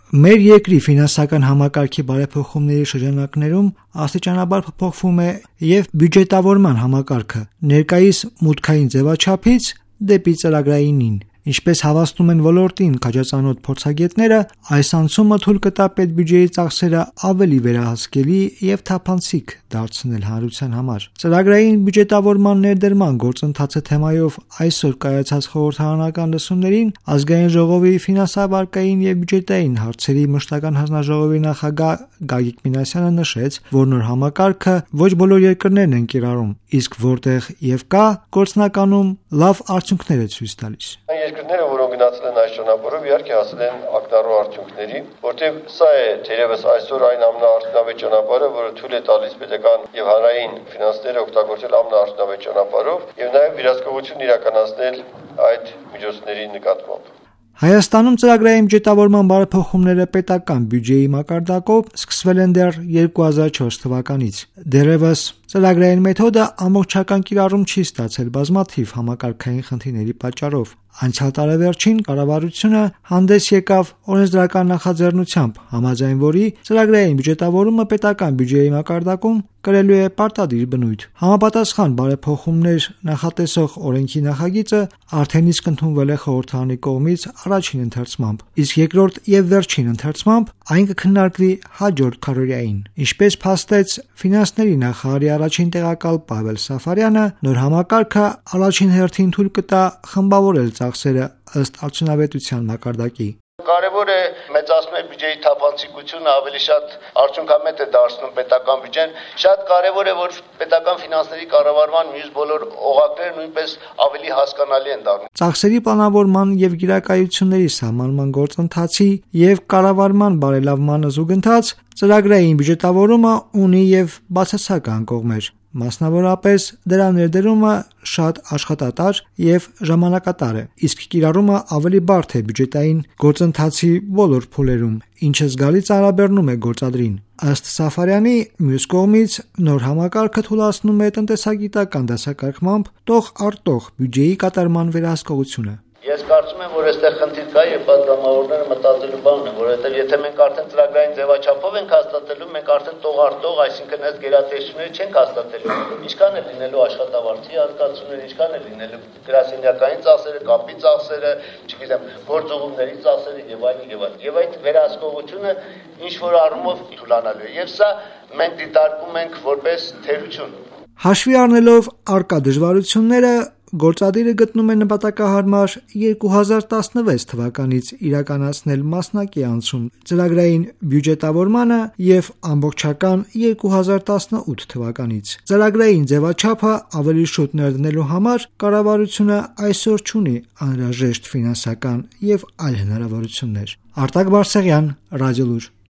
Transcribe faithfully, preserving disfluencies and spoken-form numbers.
Մեր երկրի ֆինանսական համակարգի բարեփոխումների շրջանակներում աստիճանաբար փոփոխվում է եւ բյուջետավորման համակարգը ներկայիս մուտքային ձևաչափից դեպի ծրագրայինին։ Ինչպես հավաստում են ոլորտին քաջածանոթ փորձագետները, այս անցումը թույլ կտա պետբյուջեի ծախսերը ավելի վերահսկելի եւ թափանցիկ դարձնել հանրության համար։ Ծրագրային բյուջետավորման ներդրման գործընթացը թեմայով այսօր կայացած խորհրդարանական լսումներին Ազգային ժողովի ֆինանսավարկային եւ բյուջետային հարցերի մշտական հանձնաժողովի նախագահ Գագիկ Մինասյանը նշեց, որ նոր համակարգը ոչ բոլոր երկրներն են կիրառում, իսկ որտեղ եւ կա, գործնականում լավ արդյունքներ է ցույց տալիս։ Երկրները, որոնք գնացել են այս ճանապարհով, իհարկե հասել են ակնառու արդյունքների, որտեղ սա է թերևս այսօր այն ամենաարդյունավետ ճանապարհը, որը թույլ է տալիս պետական եւ հանրային ֆինանսները օգտագործել ամենաարդյունավետ ճանապարհով եւ նաեւ վերահսկողություն իրականացնել այդ միջոցների նկատմամբ։ Հայաստանում ծրագրային բյուջետավորման բարեփոխումները պետական բյուջեի մակարդակով սկսվել են դեռ երկու հազար չորս թվականից։ Դեռևս ծրագրային մեթոդը ամբողջական կիրառում չի ստացել բազմաթիվ համակարգային խնդիրների պատճառով։ Անցյալ տարեվերջին կառավարությունը հանդես եկավ օրենսդրական նախաձեռնությամբ, համաձայն որի ծրագրային բյուջետավորումը պետական բյուջեի մակարդակում կրելու է պարտադիր բնույթ։ Համապատասխան բարեփոխումներ նախատեսող օրենքի նախագիծը արդեն իսկ ընդունվել է խորհրդարանի կողմից առաջին ընթերցմամբ, իսկ երկրորդ եւ վերջին ընթերցմամբ այն կքննարկվի հաջորդ քառօրյային։ Ինչպես փաստեց ֆինանսների նախարարի առաջին տեղակալ Պավել Սաֆարյանը, նոր համակարգը առաջին հերթին թույլ կտա խմբավորել ծախսերը ըստ արդյունավետության մակարդակի։ Կարևոր է մեծացնել բյուջեի թափանցիկությունը, ավելի շատ արդյունքամետ է դարձնում պետական բյուջեն։ Շատ կարևոր է, որ պետական ֆինանսների կառավարման մյուս բոլոր օղակները նույնպես ավելի հասկանալի են դառնում։ Ծախսերի պլանավորման եւ գիրակայությունների սահմանման գործընթացի եւ կառավարման բարելավման զուգընթաց ծրագրային բյուջետավորումը ունի եւ բացասական կողմեր։ Մասնավորապես դրա ներդրումը շատ աշխատատար եւ ժամանակատար է, իսկ կիրառումը ավելի բարդ է բյուջետային գործընթացի բոլոր փուլերում, ինչը զգալի ծանրաբեռնում է գործադրին։ Ըստ Սաֆարյանի, մյուս կողմից նոր համակարգը թույլատնում է տնտեսագիտական դասակարգմամբ տող առ տող բյուջեի կատարման վերահսկողությունը։ Ես կարծում եմ, որ այստեղ խնդիր կա եւ պատգամավորները մտածելու բանն է, որովհետեւ եթե մենք արդեն ծրագրային ձևաչափով ենք հաստատելու, մենք արդեն տող առ տող, այսինքն այս գերատեսչությունները չենք հաստատելու։ Ինչքան է լինելու աշխատավարձի հատկացումները, ինչքան է լինելու գրասենյակային ծախսերը, կապի ծախսերը, չգիտեմ, գործողումների ծախսերը եւ այլն եւ այլն։ Եվ այդ վերահսկողությունը ինչ որ առումով թուլանալու է։ Եվ սա մենք դիտարկում ենք որպես թերություն։ Հաշվի առնելով առկա դժվարությունները, գործադիրը գտնում է նպատակահարմար երկու հազար տասնվեց թվականից իրականացնել մասնակի անցում ծրագրային բյուջետավորմանը եւ ամբողջական երկու հազար տասնութ թվականից։ Ծրագրային ձևաչափը ավելի շուտ ներդնելու համար կառավարությունը այսօր չունի անհրաժեշտ ֆինանսական եւ այլ հնարավորություններ։ Արտակ Բարսեղյան, Ռադիոլուր։